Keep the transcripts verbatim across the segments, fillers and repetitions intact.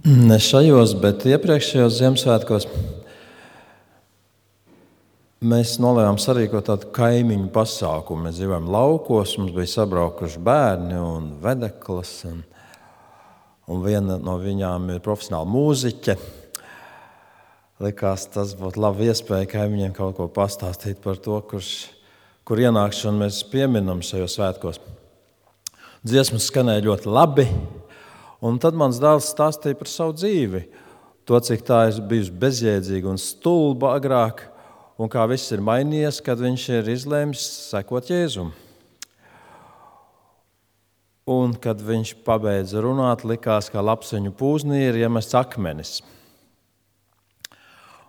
Ne šajos, bet iepriekšējos Ziemassvētkos mēs nolēmām sarīkot tādu kaimiņu pasākumu. Mēs dzīvojam laukos, mums bija sabraukuši bērni un vedeklas, un, un viena no viņām ir profesionāla mūziķe. Likās, tas būtu labi iespēja kaimiņiem kaut ko pastāstīt par to, kurš, kur ienākšanu mēs pieminam šajos svētkos. Dziesmas skanēja ļoti labi, un tad mans dēls stāstīja par savu dzīvi. To, cik tā ir bijusi bezjēdzīga un stulba agrāk, un kā viss ir mainījies, kad viņš ir izlēmis sekot Jēzum. Un, kad viņš pabeidza runāt, likās, ka lapseņu pūznī ir iemests akmenis.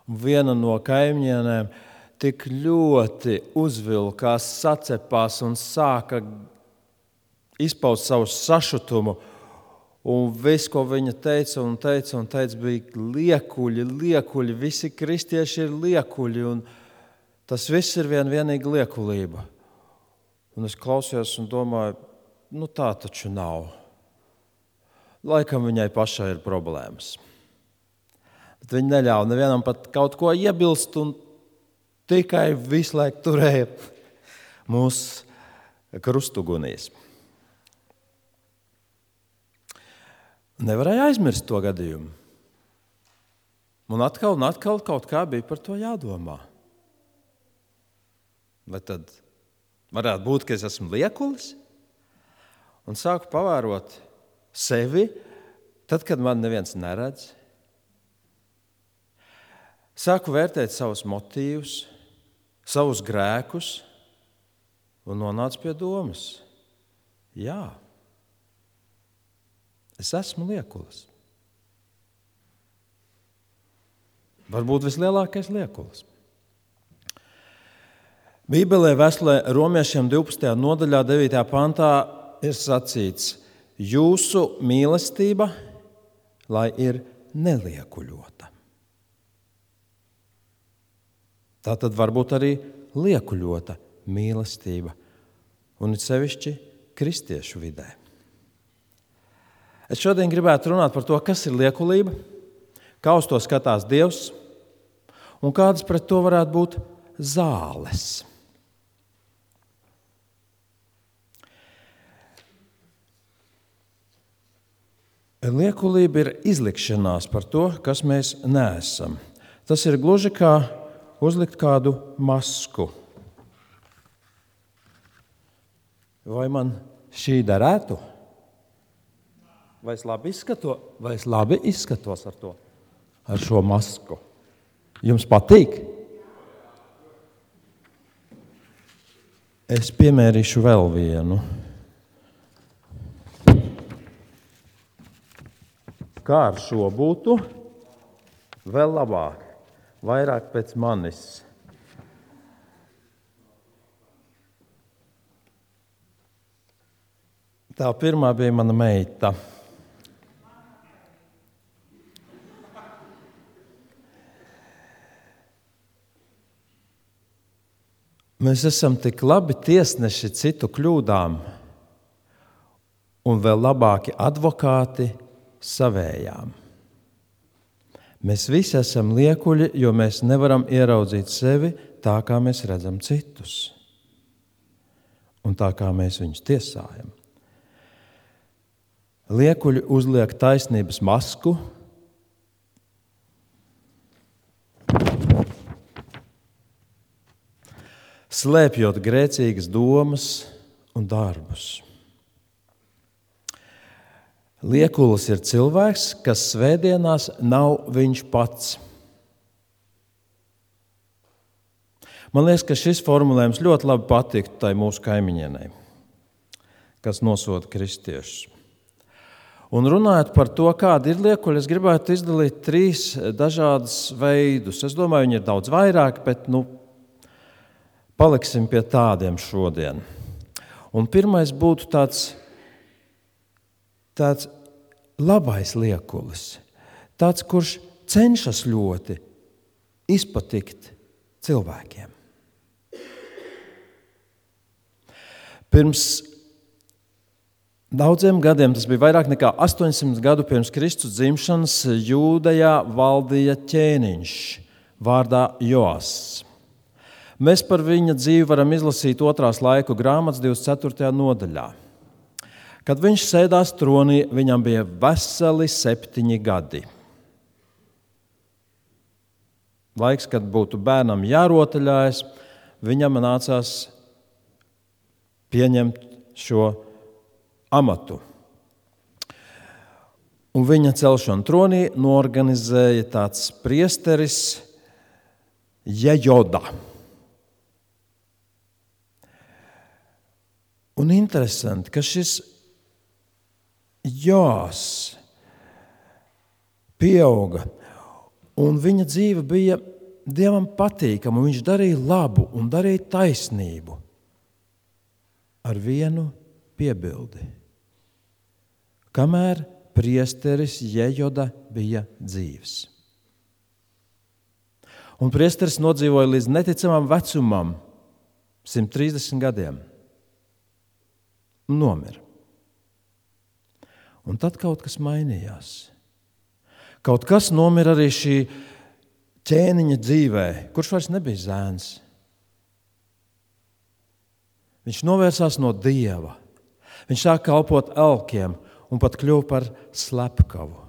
Viena no kaimiņienēm tik ļoti uzvilkās, sacepās un sāka izpaust savu sašutumu. Un viss, ko viņa teica un teica un teica, bija liekuļi, liekuļi. Visi kristieši ir liekuļi, un tas viss ir vien vienīgi liekulība. Un es klausījos un domāju, nu tā taču nav. Laikam viņai pašai ir problēmas. Bet viņa neļāva nevienam pat kaut ko iebilst un tikai visu laiku turēja mūsu krustugunīs. Nevarēja aizmirst to gadījumu. Un atkal un atkal kaut kā bija par to jādomā. Vai tad varētu būt, ka es esmu liekulis? Un sāku pavērot sevi, tad, kad man neviens neredz. Sāku vērtēt savus motīvus, savus grēkus un nonācu pie domas. Jā, es esmu liekulis. Varbūt vislielākais liekulis. Bībelē vēstulē Romiešiem divpadsmitajā nodaļā devītajā pantā ir sacīts: jūsu mīlestība, lai ir neliekuļota. Tā tad var būt arī liekuļota mīlestība, un it sevišķi kristiešu vidē. Es šodien gribētu runāt par to, kas ir liekulība, kā uz to skatās Dievs, un kādas pret to varētu būt zāles. Liekulība ir izlikšanās par to, kas mēs neesam. Tas ir gluži kā uzlikt kādu masku. Vai man šī derētu? Vai es labi izskatos? Vai es labi izskatos ar to, ar šo masku? Jums patīk? Es piemērīšu vēl vienu. Kā ar šo būtu? Vēl labāk. Vairāk pēc manis. Tā pirmā bija mana meita. Mēs esam tik labi tiesneši citu kļūdām un vēl labāki advokāti savējām. Mēs visi esam liekuļi, jo mēs nevaram ieraudzīt sevi tā, kā mēs redzam citus un tā, kā mēs viņus tiesājam. Liekuļi uzliek taisnības masku, slēpjot grēcīgas domas un darbus. Liekulis ir cilvēks, kas svētdienās nav viņš pats. Man liekas, ka šis formulējums ļoti labi patiktu tai mūsu kaimiņienei, kas nosoda kristiešus. Un runājot par to, kādi ir liekuļi, es gribētu izdalīt trīs dažādus veidus. Es domāju, viņi ir daudz vairāk, bet nu, paliksim pie tādiem šodien. Un pirmais būtu tāds, tāds labais liekulis, tāds, kurš cenšas ļoti izpatikt cilvēkiem. Pirms Daudziem gadiem, tas bija vairāk nekā astoņsimt gadu pirms Kristus dzimšanas, Jūdejā valdīja ķēniņš vārdā Joass. Mēs par viņa dzīvi varam izlasīt otrās laiku grāmatas divdesmit ceturtajā nodaļā. Kad viņš sēdās tronī, viņam bija veseli septiņi gadi. Laiks, kad būtu bērnam jārotaļājas, viņam nācās pieņemt šo amatu. Un viņa celšanu tronī noorganizēja tāds priesteris Jejoda. Un interesanti, ka šis Joass pieauga, un viņa dzīve bija Dievam patīkama, un viņš darīja labu un darīja taisnību ar vienu piebildi. Kamēr priesteris Jejoda bija dzīvs. Un priesteris nodzīvoja līdz neticamam vecumam, simt trīsdesmit gadiem. Nomira. Un tad kaut kas mainījās. Kaut kas nomira arī šī ķēniņa dzīvē, kurš vairs nebija zēns. Viņš novērsās no Dieva. Viņš sāk kalpot elkiem un pat kļuva par slepkavu.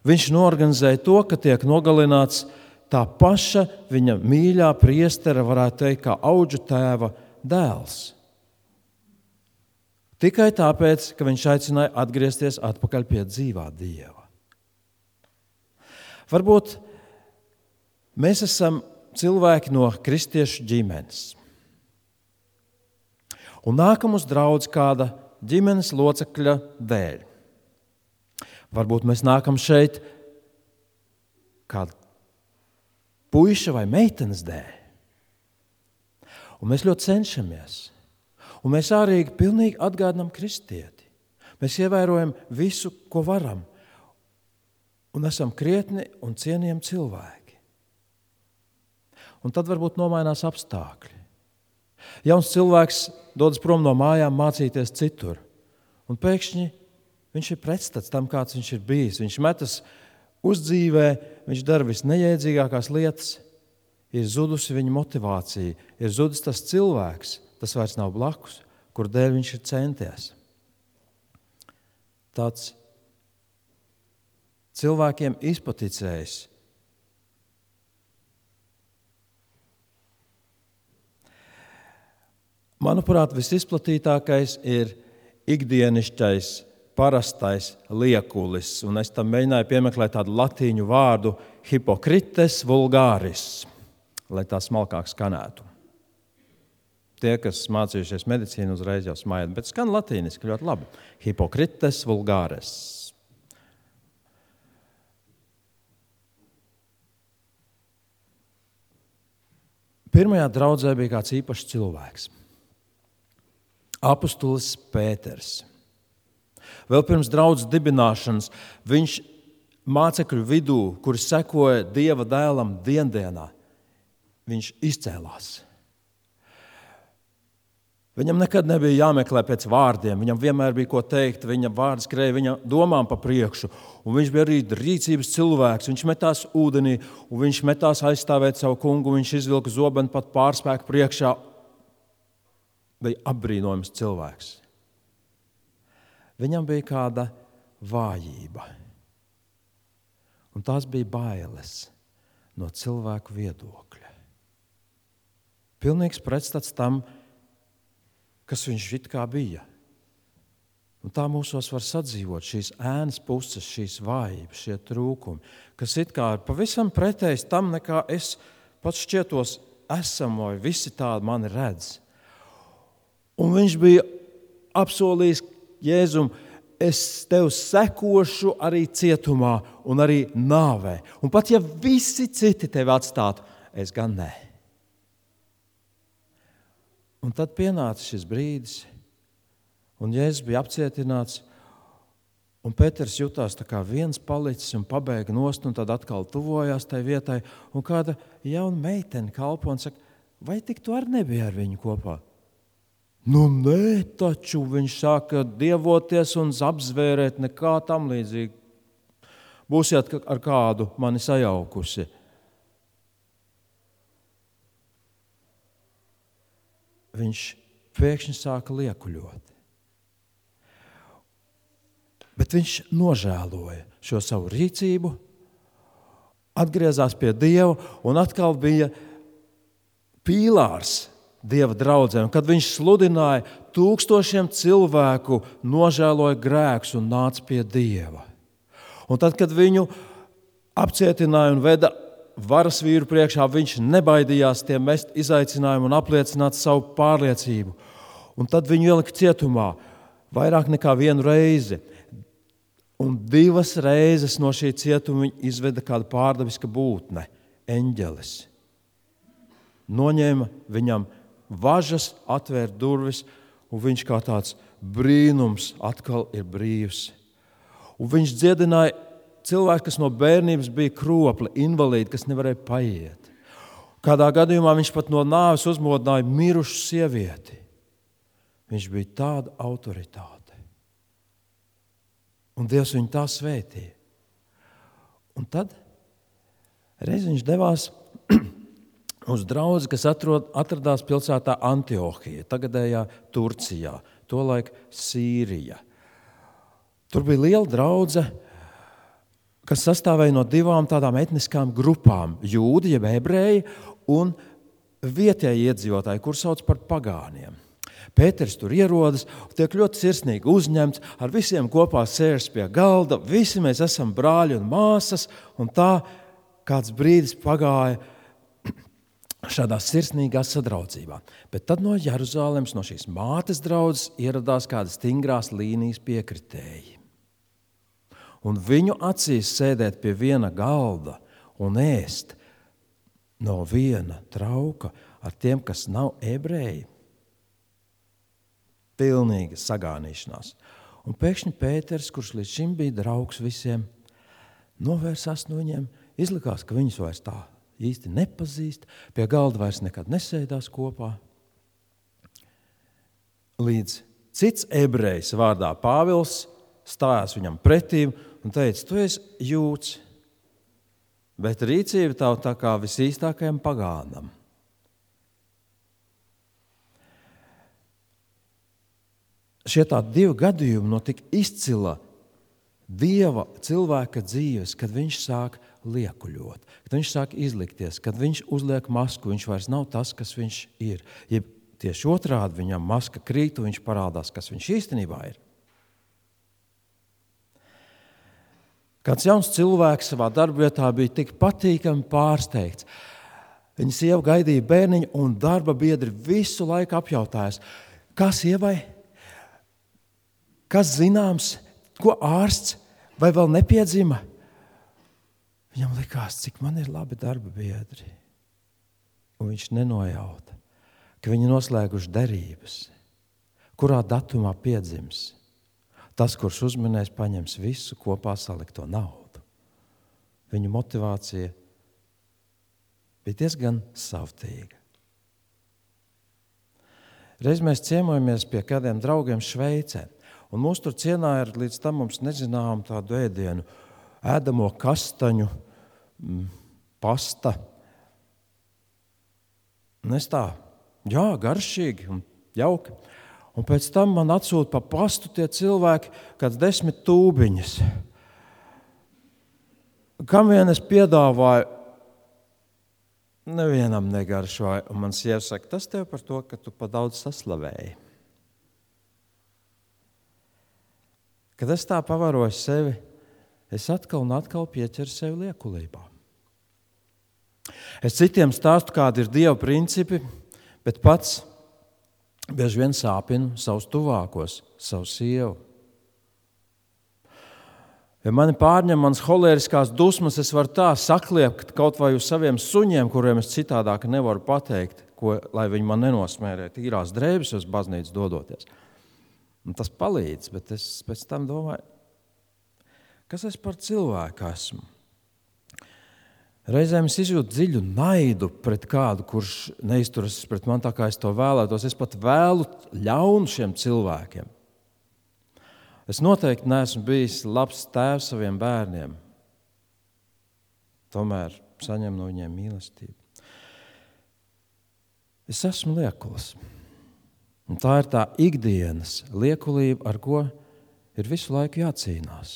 Viņš noorganizēja to, ka tiek nogalināts tā paša viņa mīļā priestera, varētu teikt, kā audžu tēva dēls. Tikai tāpēc, ka viņš aicināja atgriezties atpakaļ pie dzīvā Dieva. Varbūt mēs esam cilvēki no kristiešu ģimenes. Un nākam uz draudzi kāda ģimenes locekļa dēļ. Varbūt mēs nākam šeit kāda puiša vai meitenes dēļ. Un mēs ļoti cenšamies. Un mēs ārīgi pilnīgi atgādinām kristieti. Mēs ievērojam visu, ko varam. Un esam krietni un cienījami cilvēki. Un tad varbūt nomainās apstākļi. Jauns cilvēks dodas prom no mājām mācīties citur. Un pēkšņi viņš ir pretstats tam, kāds viņš ir bijis. Viņš metas uz dzīvē, viņš dara visneiedzīgākās lietas. Ir zudusi viņa motivācija, ir zudis tas cilvēks, tas vairs nav blakus, kur dēļ viņš ir centies. Tāds cilvēkiem izpaticējis. Manuprāt, visizplatītākais ir ikdienišķais, parastais liekulis, un es tam mēģināju piemeklēt tādu latīņu vārdu hypocrites vulgaris, lai tā smalkāk skanētu. Tie, kas mācījušies medicīnu, uzreiz jau smaied, bet skan latīniski ļoti labi. Hypocrites vulgaris. Pirmajā draudzē bija kāds īpašs cilvēks. Apostolis Pēters. Vēl pirms draudzes dibināšanas viņš mācekļu vidū, kuri sekoja Dieva dēlam diendienā, viņš izcēlās. Viņam nekad nebija jāmeklē pēc vārdiem, viņam vienmēr bija ko teikt, viņa vārds skrēja viņa domām pa priekšu, un viņš bija arī rīcības cilvēks, viņš metās ūdenī, un viņš metās aizstāvēt savu kungu, viņš izvilka zobenu pat pārspēku priekšā, bija apbrīnojams cilvēks. Viņam bija kāda vājība, un tās bija bailes no cilvēku viedokļa. Pilnīgs pretstats tam, kas viņš it kā bija. Un tā mūsos var sadzīvot šīs ēnas puses, šīs vājības, šie trūkumi, kas it kā ir pavisam pretējs tam, nekā es pats šķietos esam, vai visi tādi mani redz. Un viņš bija apsolījis Jēzum, es tev sekošu arī cietumā un arī nāvē. Un pat ja visi citi tevi atstātu, es gan nē. Un tad pienāca šis brīdis, un Jēzus bija apcietināts, un Pēters jutās tā kā viens palicis un pabēga nost, un tad atkal tuvojās tai vietai, un kāda jauna meitene kalpo un saka, vai tik tu arī nebija ar viņu kopā? Nu, nē, taču viņš sāka dievoties un apzvērēt, nekā tam līdzīgi. Būsiet ar kādu mani sajaukusi. Viņš pēkšņi sāka liekuļot. Bet viņš nožēloja šo savu rīcību, atgriezās pie Dieva un atkal bija pīlārs Dieva draudzēm. Kad viņš sludināja, tūkstošiem cilvēku nožēloja grēkus un nāca pie Dieva. Un tad, kad viņu apcietināja un veda varas vīru priekšā, viņš nebaidījās tiem mest izaicinājumu un apliecināt savu pārliecību. Un tad viņu ielika cietumā vairāk nekā vienu reizi. Un divas reizes no šī cietuma viņa izveda kāda pārdabiska būtne, eņģelis. Noņēma viņam važas, atvēra durvis, un viņš kā tāds brīnums atkal ir brīvs. Un viņš dziedināja cilvēku, kas no bērnības bija kropli, invalīdi, kas nevarēja paiet. Kādā gadījumā viņš pat no nāves uzmodināja mirušu sievieti. Viņš bija tāda autoritāte. Un Dievs viņu tā svētīja. Un tad reiz viņš devās uz draudzi, kas atrod, atradās pilsētā Antiohija, tagadējā Turcijā, tolaik Sīrija. Tur bija liela draudze, kas sastāvēja no divām tādām etniskām grupām – jūdi, jeb ebreji, un vietēji iedzīvotāji, kur sauc par pagāniem. Pēters tur ierodas, tiek ļoti sirsnīgi uzņemts, ar visiem kopā sēžas pie galda, visi mēs esam brāļi un māsas, un tā kāds brīdis pagāja šādā sirsnīgā sadraudzībā. Bet tad no Jeruzalemes, no šīs mātes draudzes, ieradās kādas stingrās līnijas piekritēji. Un viņu acīs sēdēt pie viena galda un ēst no viena trauka ar tiem, kas nav ebreji. Pilnīga sagānīšanās. Un pēkšņi Pēters, kurš līdz šim bija draugs visiem, novērsās no viņiem, izlikās, ka viņus vairs tā īsti nepazīst, pie galda vairs nekad nesēdās kopā. Līdz cits ebrejs vārdā Pāvils stājās viņam pretīm un teica, tu esi jūds, bet rīcība tavu tā kā visīstākajam pagānam. Šie tādi divi gadījumi no tik izcila Dieva cilvēka dzīves, kad viņš sāk liekuļot, kad viņš sāk izlikties, kad viņš uzliek masku, viņš vairs nav tas, kas viņš ir. Ja tieši otrādi viņam maska krīt un viņš parādās, kas viņš īstenībā ir. Kāds jauns cilvēks savā darbvietā bija tik patīkami pārsteigts. Viņa sieva gaidīja bērniņu un darba biedri visu laiku apjautājās, kas sievai? Kas zināms, ko ārsts vai vēl nepiedzima? Viņam likās, cik man ir labi darba biedri. Un viņš nenojauta, ka viņi noslēguši derības, kurā datumā piedzims. Tas, kurš uzminēs, paņems visu kopā salikto naudu. Viņu motivācija bija diezgan savtīga. Reiz mēs ciemojamies pie kādiem draugiem Šveicē. Un mūs tur cienāja ar līdz tam mums nezinām tādu ēdienu, ēdamo kastaņu, pasta. Un es tā, jā, garšīgi un jauki. Un pēc tam man atsūta pa pastu tie cilvēki, kāds desmit tūbiņas. Kam vien es piedāvāju, nevienam negaršoja. Un man sieva saka, tas tev par to, ka tu pa daudz saslavēji. Kad es tā pavaroju sevi, es atkal un atkal pieķeru sevi liekulībā. Es citiem stāstu, kādi ir Dieva principi, bet pats bieži vien sāpinu savus tuvākos, savu sievu. Ja mani pārņem manas holēriskās dusmas, es varu tā sakliept kaut vai uz saviem suņiem, kuriem es citādāk nevaru pateikt, ko, lai viņi man nenosmērē tīrās drēbes uz baznīcu dodoties. Un tas palīdz, bet es pēc tam domāju, kas es par cilvēku esmu. Reizēm es izjūtu dziļu naidu pret kādu, kurš neizturas pret mani tā, kā es to vēlētos. Es pat vēlu ļaunu šiem cilvēkiem. Es noteikti neesmu bijis labs tēvs saviem bērniem. Tomēr saņem no viņiem mīlestību. Es esmu liekulis. Un tā ir tā ikdienas liekulība, ar ko ir visu laiku jācīnās.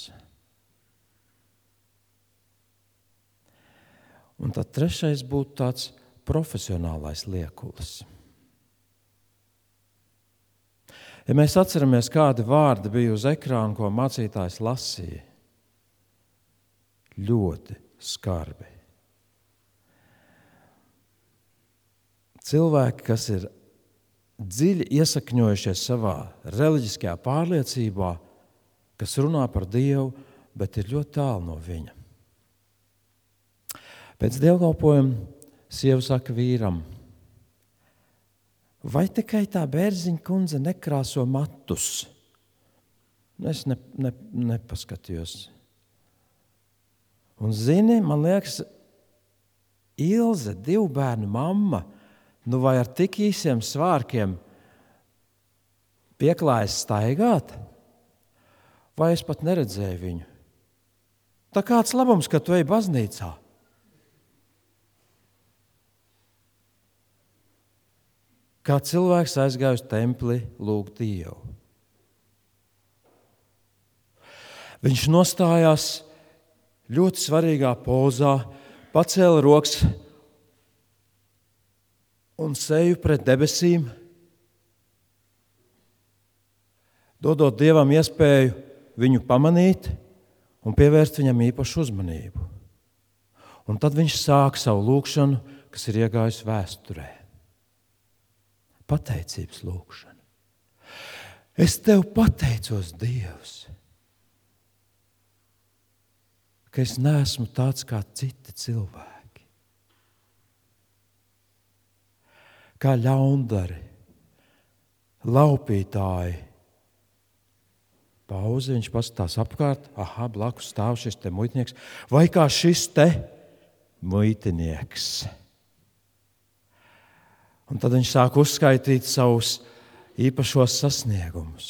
Un tad trešais būtu tāds profesionālais liekulis. Ja mēs atceramies, kādi vārdi bija uz ekrāna, ko mācītājs lasīja, ļoti skarbi. Cilvēki, kas ir dziļi iesakņojušies savā reliģiskajā pārliecībā, kas runā par Dievu, bet ir ļoti tālu no viņa. Pēc dievkalpojuma sieva saka vīram: vai tikai tā Bērziņa kundze nekrāso matus? Es ne, ne, nepaskatījos. Un zini, man liekas, Ilze, divu bērnu mamma, nu vai ar tik īsiem svārkiem pieklājas staigāt? Vai es pat neredzēju viņu? Tā kāds labums, ka tu ej baznīcā? Kā cilvēks aizgāja uz templi lūgt Dievu. Viņš nostājās ļoti svarīgā pozā, pacēla rokas un seju pret debesīm, dodot Dievam iespēju viņu pamanīt un pievērst viņam īpašu uzmanību. Un tad viņš sāk savu lūgšanu, kas ir iegājusi vēsturē. Pateicības lūgšana. Es tev pateicos, Dievs, ka es neesmu tāds kā citi cilvēki. Kā ļaundari, laupītāji. Pauze, viņš paskatās apkārt, aha, blakus stāv šis te muitnieks, vai kā šis te muitinieks. Un tad viņš sāk uzskaitīt savus īpašos sasniegumus.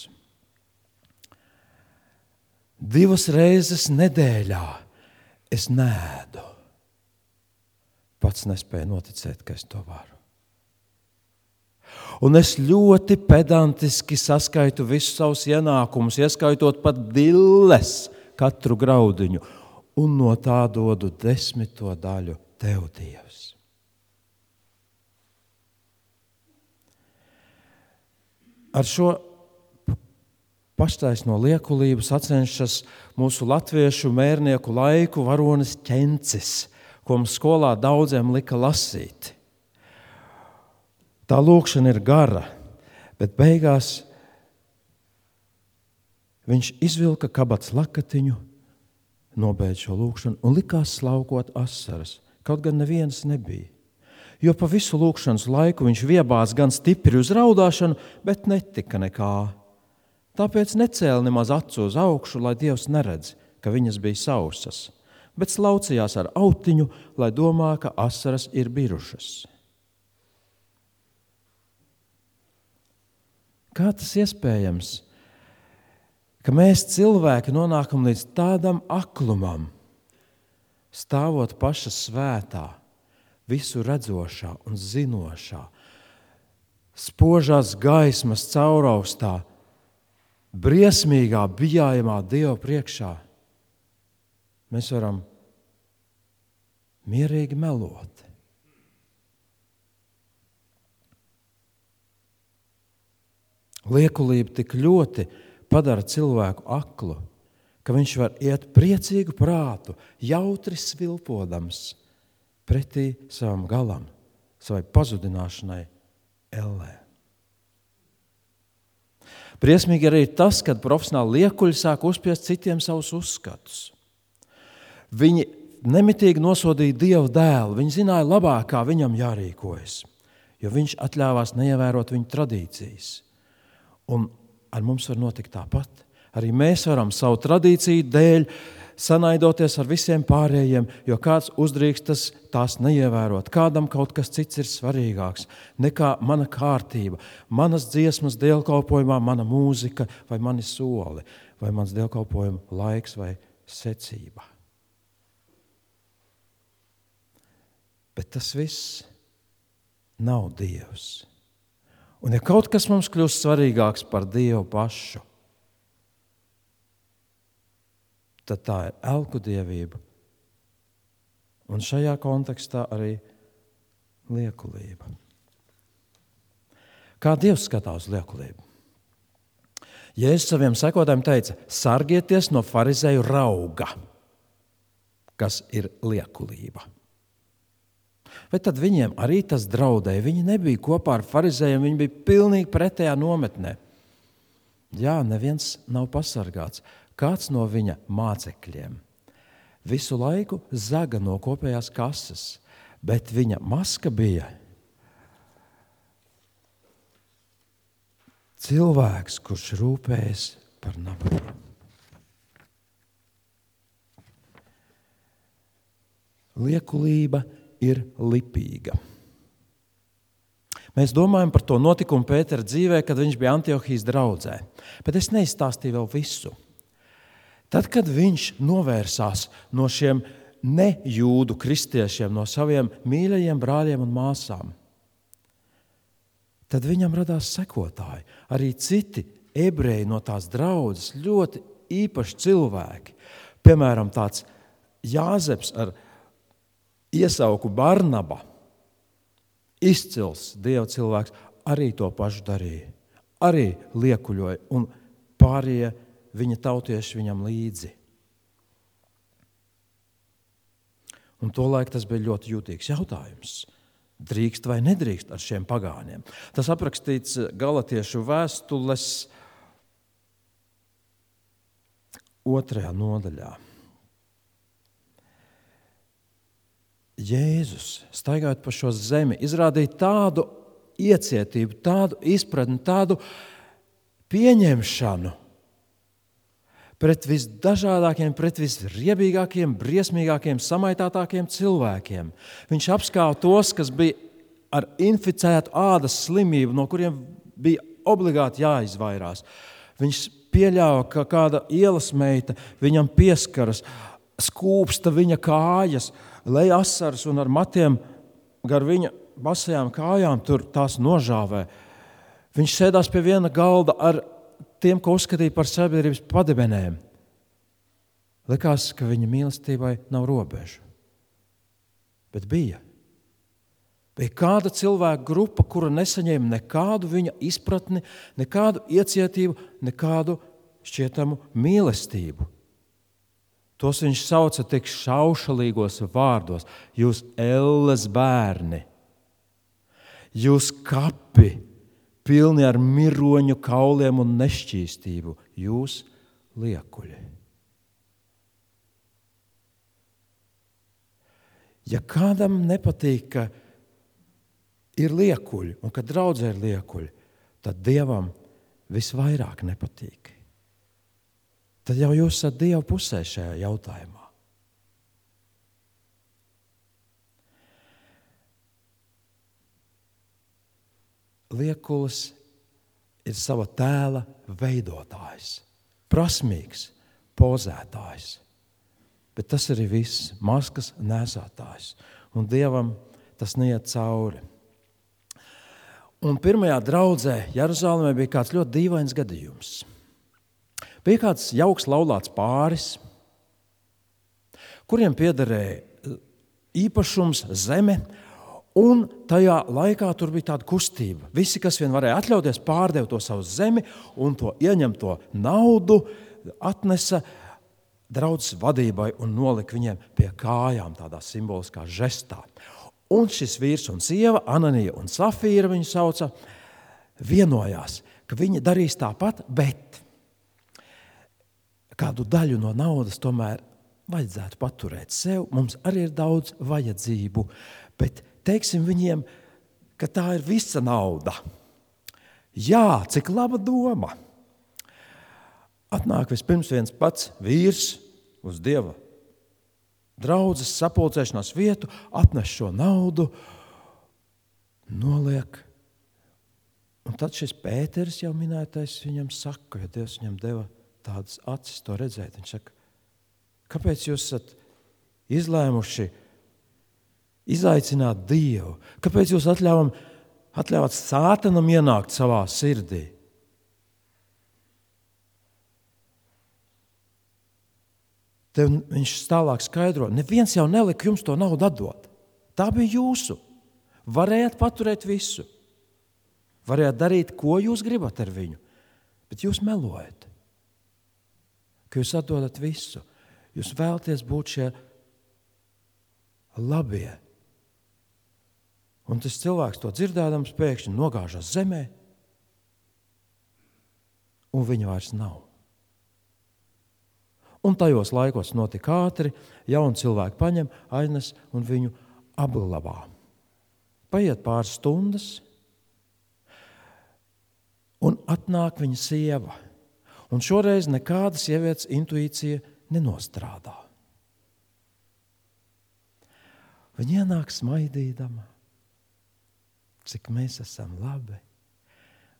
Divas reizes nedēļā es neēdu. Pats nespēju noticēt, ka es to varu. Un es ļoti pedantiski saskaitu visus savus ienākumus, ieskaitot pat dilles katru graudiņu, un no tā dodu desmito daļu tev, Dievs. Ar šo paštaisno liekulību sacenšas mūsu latviešu mērnieku laiku varonis Ķencis, ko mums skolā daudziem lika lasīt. Tā lūkšana ir gara, bet beigās viņš izvilka kabatas lakatiņu, nobeidza šo lūkšanu un likās slaukot asaras, kaut gan nevienas nebija. Jo pa visu lūkšanas laiku viņš viebās gan stipri uz raudāšanu, bet netika nekā. Tāpēc necēla nemaz acu uz augšu, lai Dievs neredz, ka viņas bija sausas, bet slaucījās ar autiņu, lai domā, ka asaras ir birušas. Kā tas iespējams, ka mēs cilvēki nonākam līdz tādam aklumam, stāvot paša svētā, visu redzošā un zinošā, spožās gaismas cauraustā, briesmīgā, bijājamā Dieva priekšā, mēs varam mierīgi melot. Liekulība tik ļoti padara cilvēku aklu, ka viņš var iet priecīgu prātu, jautri svilpodams pretī savam galam, savai pazudināšanai ellē. Briesmīgi arī tas, kad profesionāli liekuļi sāk uzspiest citiem savus uzskatus. Viņi nemitīgi nosodīja Dieva dēlu, viņi zināja labāk, kā viņam jārīkojas, jo viņš atļāvās neievērot viņu tradīcijas. Un ar mums var notikt tāpat. Arī mēs varam savu tradīciju dēļ sanaidoties ar visiem pārējiem, jo kāds uzdrīkstas tās neievērot. Kādam kaut kas cits ir svarīgāks nekā mana kārtība, manas dziesmas dievkalpojumā, mana mūzika vai mani soli, vai mans dievkalpojuma laiks vai secība. Bet tas viss nav Dievs. Un ja kaut kas mums kļūst svarīgāks par Dievu pašu, tad tā ir elku dievība. Un šajā kontekstā arī liekulība. Kā Dievs skatās uz liekulību? Jēzus saviem sekotājiem teica, sargieties no farizeju rauga, kas ir liekulība. Vai tad viņiem arī tas draudēja? Viņi nebija kopā ar farizējiem, viņi bija pilnīgi pretējā nometnē. Jā, neviens nav pasargāts. Kāds no viņa mācekļiem visu laiku zaga no kopējās kases, bet viņa maska bija cilvēks, kurš rūpējas par nabagiem. Liekulība ir lipīga. Mēs domājam par to notikumu Pētera dzīvē, kad viņš bija Antiohijas draudzē, bet es neizstāstīju vēl visu. Tad, kad viņš novērsās no šiem nejūdu kristiešiem, no saviem mīļajiem brāļiem un māsām, tad viņam radās sekotāji. Arī citi ebreji no tās draudzes, ļoti īpaši cilvēki. Piemēram, tāds Jāzeps ar iesauku Barnaba, izcils Dieva cilvēks, arī to pašu darīja. Arī liekuļoja un pārējie viņa tautieši viņam līdzi. Un tolaik tas bija ļoti jūtīgs jautājums. Drīkst vai nedrīkst ar šiem pagāniem? Tas aprakstīts Galatiešu vēstules otrajā nodaļā. Jēzus, staigājot pa šo zemi, izrādīja tādu iecietību, tādu izpratni, tādu pieņemšanu pret visdažādākiem, pret visriebīgākiem, briesmīgākiem, samaitātākiem cilvēkiem. Viņš apskāva tos, kas bija ar inficētu ādas slimību, no kuriem bija obligāti jāizvairās. Viņš pieļāva, ka kāda ielas meita viņam pieskaras, skūpsta viņa kājas, lej asaras un ar matiem gar viņa basajām kājām tur tās nožāvē. Viņš sēdās pie viena galda ar tiem, ko uzskatīja par sabiedrības padebenēm. Likās, ka viņa mīlestībai nav robežu. Bet bija. Bija kāda cilvēka grupa, kura nesaņēma nekādu viņa izpratni, nekādu iecietību, nekādu šķietamu mīlestību. Tos viņš sauca tik šaušalīgos vārdos. Jūs elles bērni, jūs kapi, pilni ar miroņu kauliem un nešķīstību, jūs liekuļi. Ja kādam nepatīk, ka ir liekuļi un ka draudzē ir liekuļi, tad Dievam visvairāk nepatīk. Tad jau jūs esat Dieva pusē šajā jautājumā. Liekulis ir sava tēla veidotājs, prasmīgs, pozētājs. Bet tas arī viss, maskas nēsātājs. Un Dievam tas neiet cauri. Un pirmajā draudzē Jeruzalemē bija kāds ļoti dīvains gadījums. Bija kāds jauks laulāts pāris, kuriem piederēja īpašums zeme, un tajā laikā tur bija tāda kustība. Visi, kas vien varēja atļauties, pārdeva to savu zemi un to ieņemto naudu atnesa draudzes vadībai un nolika viņiem pie kājām tādā simboliskā žestā. Un šis vīrs un sieva, Ananija un Safīra viņu sauca, vienojās, ka viņi darīs tāpat, bet kādu daļu no naudas tomēr vajadzētu paturēt sev. Mums arī ir daudz vajadzību, bet teiksim viņiem, ka tā ir visa nauda. Jā, cik laba doma. Atnāk vispirms viens pats vīrs uz Dieva draudzes sapulcēšanās vietu, atnes šo naudu, noliek. Un tad šis Pēteris jau minētais viņam saka, jo Dievs viņam deva tādas acis to redzēt. Viņš saka, kāpēc jūs esat izlēmuši izaicināt Dievu? Kāpēc jūs atļāvam, atļāvāt Sātanam ienākt savā sirdī? Te viņš tālāk skaidro, neviens jau nelika jums to naudu atdot. Tā bija jūsu. Varējāt paturēt visu. Varējāt darīt, ko jūs gribat ar viņu. Bet jūs melojat. Ka jūs atdodat visu. Jūs vēlaties būt šie labie. Un tas cilvēks to dzirdēdams pēkšņi nogāžas zemē. Un viņa vairs nav. Un tajos laikos notika ātri, jauni cilvēki paņem, aiznes un viņu apglabā. Paiet pāris stundas, un atnāk viņa sieva. Un šoreiz nekāda sievietes intuīcija nenostrādā. Viņa ienāk smaidīdama, cik mēs esam labi.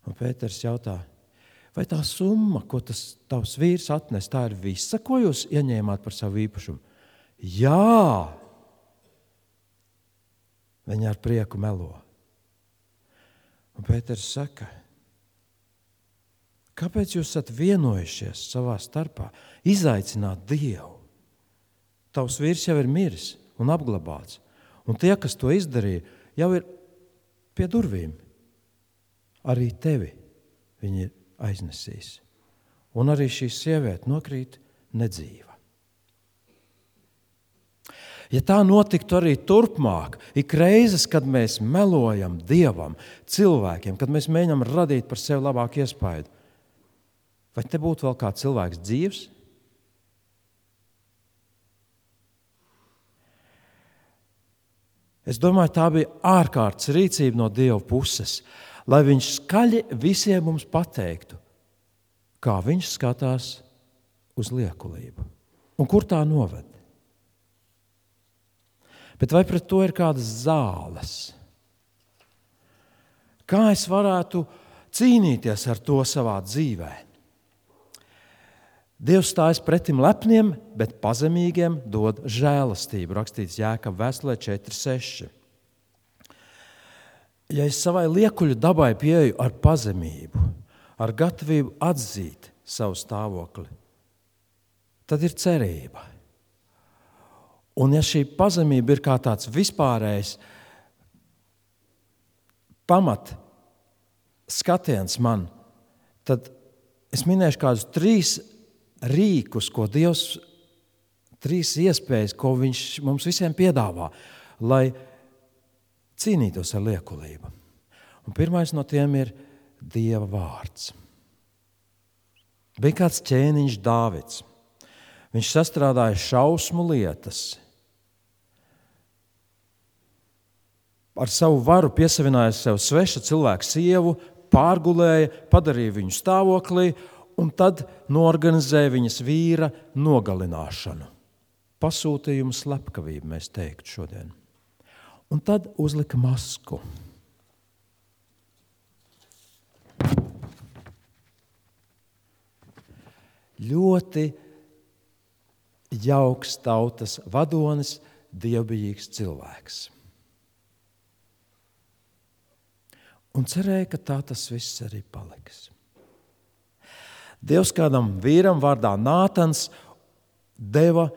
Un Pēters jautā, vai tā summa, ko tas tavs vīrs atnes, tā ir visa, ko jūs ieņēmāt par savu īpašumu? Jā! Viņa ar prieku melo. Un Pēters saka, kāpēc jūs esat vienojušies savā starpā, izaicināt Dievu? Tavs vīrs jau ir miris un apglabāts. Un tie, kas to izdarīja, jau ir pie durvīm. Arī tevi viņi ir aiznesīs. Un arī šī sieviete nokrīt nedzīva. Ja tā notiktu arī turpmāk, ik reizes, kad mēs melojam Dievam, cilvēkiem, kad mēs mēģinām radīt par sevi labāku iespaidu, vai te būtu vēl kāds cilvēks dzīvs? Es domāju, tā bija ārkārtas rīcība no Dieva puses, lai viņš skaļi visiem mums pateiktu, kā viņš skatās uz liekulību un kur tā noved. Bet vai pret to ir kādas zāles? Kā es varētu cīnīties ar to savā dzīvē? Dievs stājas pretim lepniem, bet pazemīgiem dod žēlastību, rakstīts Jēkaba vēstulē četri seši. Ja es savai liekuļu dabai pieeju ar pazemību, ar gatavību atzīt savu stāvokli, tad ir cerība. Un ja šī pazemība ir kā tāds vispārējs pamat skatiens man, tad es minēšu kādus trīs rīkus, ko Dievs, trīs iespējas, ko viņš mums visiem piedāvā, lai cīnītos ar liekulību. Un pirmais no tiem ir Dieva vārds. Bija kāds ķēniņš Dāvids. Viņš sastrādāja šausmu lietas. Ar savu varu piesavināja sev sveša cilvēka sievu, pārgulēja, padarīja viņu stāvoklī un tad noorganizēja viņas vīra nogalināšanu. Pasūtījumu slepkavību, mēs teiktu šodien. Un tad uzlika masku. Ļoti jauks tautas vadonis, dievbijīgs cilvēks. Un cerēja, ka tā tas viss arī paliks. Dievs kādam vīram vārdā Nātans deva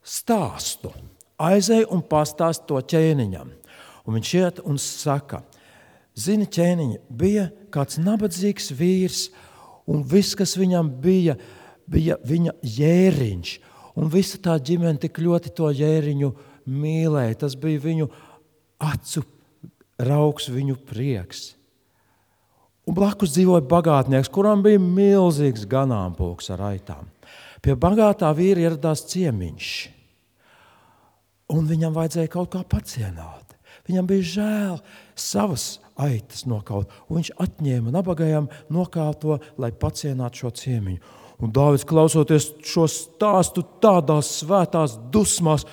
stāstu. Aizej un pastāst to ķēniņam. Un viņš iet un saka, zini, ķēniņi, bija kāds nabadzīgs vīrs, un viss, kas viņam bija, bija viņa jēriņš. Un visa tā ģimene tik ļoti to jēriņu mīlēja. Tas bija viņu acu raugs, viņu prieks. Un blakus dzīvoja bagātnieks, kuram bija milzīgs ganāmpulks ar aitām. Pie bagātā vīra ieradās ciemiņš. Un viņam vajadzēja kaut kā pacienāt. Viņam bija žēl savas aitas nokaut. Un viņš atņēma nabagajam nokāto, lai pacienātu šo ciemiņu. Un Dāvids, klausoties šo stāstu tādās svētās dusmās,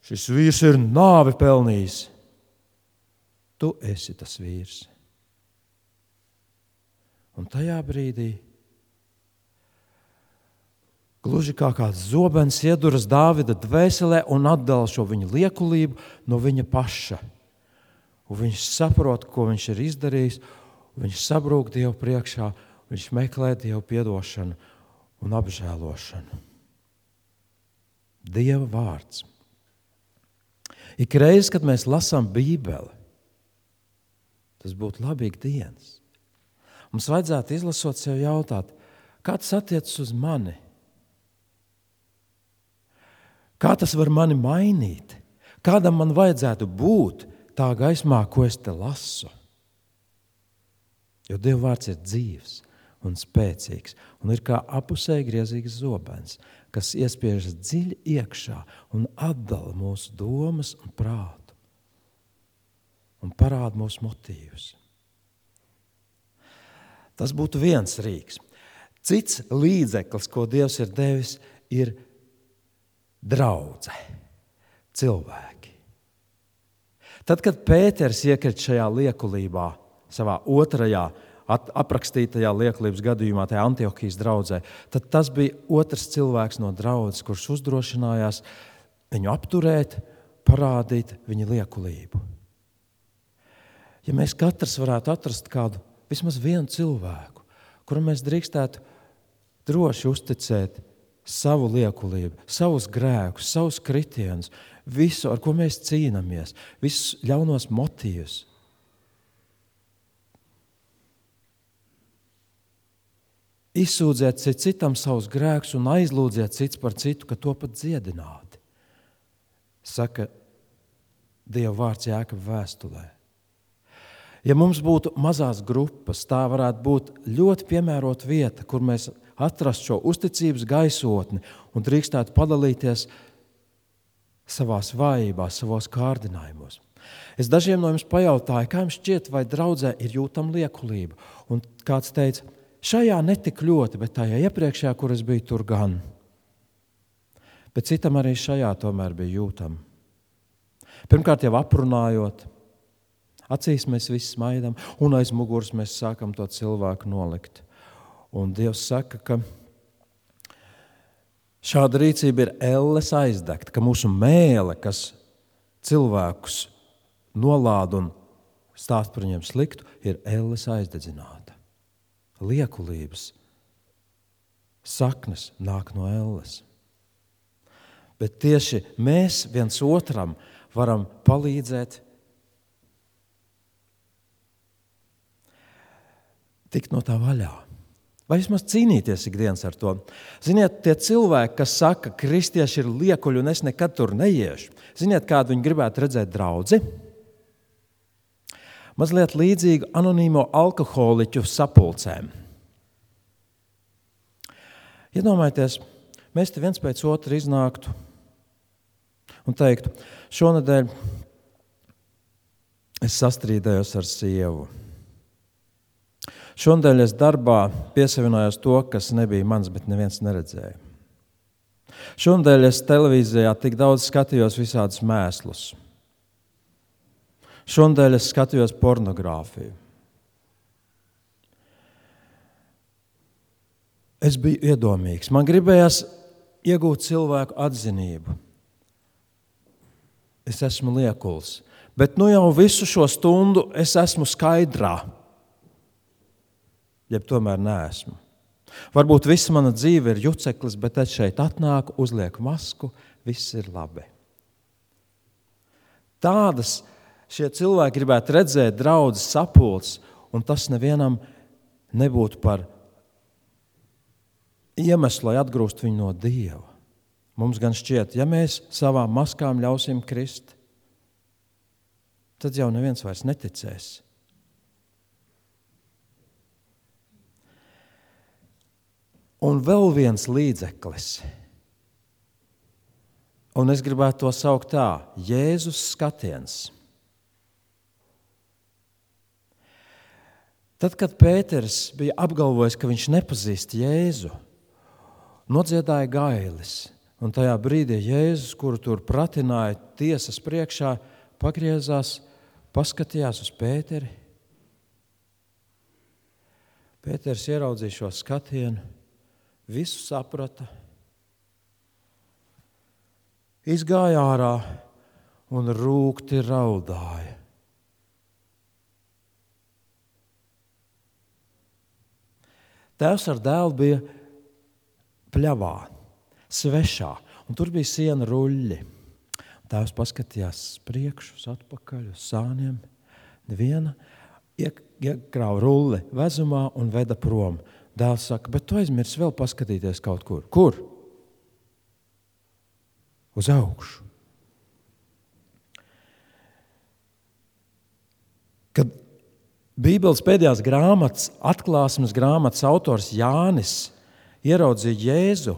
šis vīrs ir nāvi pelnījis. Tu esi tas vīrs. Un tajā brīdī, gluži kā kāds zobens ieduras Dāvida dvēselē un atdala šo viņa liekulību no viņa paša. Un viņš saprot, ko viņš ir izdarījis, viņš sabrūk Dievu priekšā, viņš meklē Dievu piedošanu un apžēlošanu. Dieva vārds. Ik reiz, kad mēs lasām Bībeli, tas būtu labīgi dienas. Mums vajadzētu izlasot sev jautāt, kā tas attiecas uz mani? Kā tas var mani mainīt? Kādam man vajadzētu būt tā gaismā, ko es te lasu? Jo Dieva vārds ir dzīvs un spēcīgs un ir kā apusēji griezīgs zobens, kas iespiežas dziļi iekšā un atdala mūsu domas un prātu un parāda mūsu motīvus. Tas būtu viens rīks. Cits līdzeklis, ko Dievs ir devis, ir draudze, cilvēki. Tad, kad Pēters iekrita šajā liekulībā, savā otrajā aprakstītajā liekulības gadījumā, tajā Antiohijas draudzē, tad tas bija otrs cilvēks no draudzes, kurš uzdrošinājās viņu apturēt, parādīt viņa liekulību. Ja mēs katrs varētu atrast kādu, vismaz vienu cilvēku, kuram mēs drīkstētu droši uzticēt savu liekulību, savus grēkus, savus kritienus, visu, ar ko mēs cīnāmies, visus ļaunos motīvus. Izsūdziet citam savus grēkus un aizlūdziet cits par citu, ka to pat dziedināti. Saka Dieva vārds Jākaba vēstulē. Ja mums būtu mazās grupas, tā varētu būt ļoti piemērota vieta, kur mēs atrastu šo uzticības gaisotni un drīkstētu padalīties savās vājībās, savos kārdinājumos. Es dažiem no jums pajautāju, kā jums šķiet, vai draudzē ir jūtama liekulība. Un kāds teica, šajā netik ļoti, bet tajā iepriekšējā, kur es biju, tur gan. Bet citam arī šajā tomēr bija jūtama. Pirmkārt jau aprunājot, acīs mēs visi smaidam, un aiz muguras mēs sākam to cilvēku nolikt. Un Dievs saka, ka šāda rīcība ir elles aizdegta, ka mūsu mēle, kas cilvēkus nolāda un stāst par viņiem sliktu, ir elles aizdedzināta. Liekulības saknes nāk no elles. Bet tieši mēs viens otram varam palīdzēt tikt no tā vaļā. Vai vismaz cīnīties ikdienas ar to. Ziniet, tie cilvēki, kas saka, ka kristieši ir liekuļi un es nekad tur neiešu. Ziniet, kādu viņi gribētu redzēt draudzi? Mazliet līdzīgu anonīmo alkoholiķu sapulcēm. Iedomājieties, mēs te viens pēc otra iznāktu un teiktu, šonedēļ es sastrīdējos ar sievu. Šonadēļ es darbā piesavinājos to, kas nebija mans, bet neviens neredzēja. Šonadēļ es televīzijā tik daudz skatījos visādus mēslus. Šonadēļ es skatījos pornogrāfiju. Es biju iedomīgs. Man gribējās iegūt cilvēku atzinību. Es esmu liekuls, bet nu jau visu šo stundu es esmu skaidrā. Jeb tomēr neesmu. Varbūt visa mana dzīve ir juceklis, bet es šeit atnāku, uzlieku masku, viss ir labi. Tādas šie cilvēki gribētu redzēt draudzes sapulces, un tas nevienam nebūtu par iemeslu, lai atgrūst viņu no Dieva. Mums gan šķiet, ja mēs savām maskām ļausim krist, tad jau neviens vairs neticēs. Un vēl viens līdzeklis. Un es gribētu to saukt tā, Jēzus skatiens. Tad, kad Pēters bija apgalvojis, ka viņš nepazīst Jēzu, nodziedāja gailis. Un tajā brīdī Jēzus, kuru tur pratināja tiesas priekšā, pagriezās, paskatījās uz Pēteri. Pēters ieraudzīja šo skatienu, visu saprata, izgāja ārā un rūgti raudāja. Tēvs ar dēlu bija pļavā, svešā, un tur bija siena ruļļi. Tēvs paskatījās priekšu, uz atpakaļ, uz sāniem. Neviena iekrāva rulli vezumā un veda prom. Dēls saka, bet tu aizmirsi vēl paskatīties kaut kur. Kur? Uz augšu. Kad Bībeles pēdējās grāmatas, atklāsmes grāmatas autors Jānis ieraudzīja Jēzu,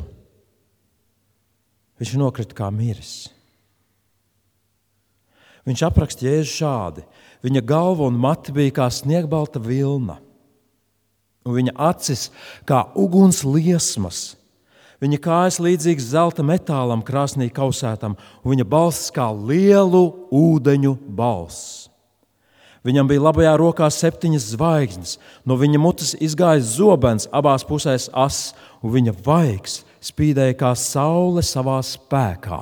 viņš nokrita kā miris. Viņš apraksta Jēzu šādi. Viņa galva un mati bija kā sniegbalta vilna, un viņa acis kā uguns liesmas. Viņa kājas līdzīgas zelta metālam krāsnī kausētam, un viņa balss kā lielu ūdeņu balss. Viņam bija labajā rokā septiņas zvaigznes, no viņa mutes izgāja zobens, abās pusēs ass, un viņa vaigs spīdēja kā saule savā spēkā.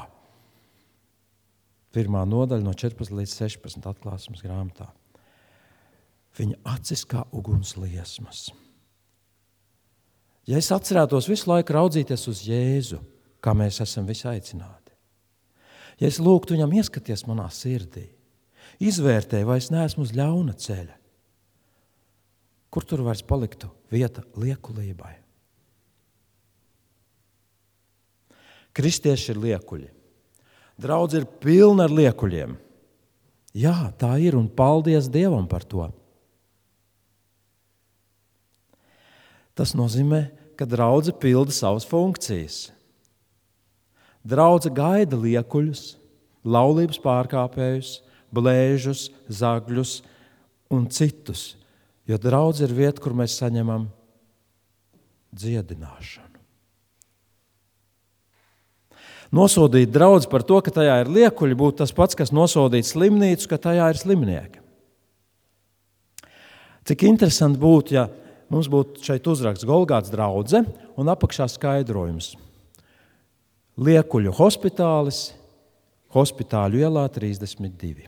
Pirmā nodaļa no četrpadsmit līdz sešpadsmit atklāsmes grāmatā. Viņa acis kā uguns liesmas. Ja es atcerētos visu laiku raudzīties uz Jēzu, kā mēs esam visi aicināti, ja es lūgtu viņam ieskaties manā sirdī, izvērtēju, vai es neesmu uz ļauna ceļa, kur tur vairs paliktu vieta liekulībai? Kristieši ir liekuļi. Draudze ir pilna ar liekuļiem. Jā, tā ir, un paldies Dievam par to. Tas nozīmē, ka draudze pilda savas funkcijas. Draudze gaida liekuļus, laulības pārkāpējus, blēžus, zagļus un citus, jo draudze ir vieta, kur mēs saņemam dziedināšanu. Nosodīt draudzi par to, ka tajā ir liekuļi, būtu tas pats, kas nosodīt slimnīcu, ka tajā ir slimnieki. Cik interesanti būtu, ja mums būtu šeit uzraksts Golgātas draudze un apakšā skaidrojums. Liekuļu hospitālis, Hospitāļu ielā trīsdesmit divi.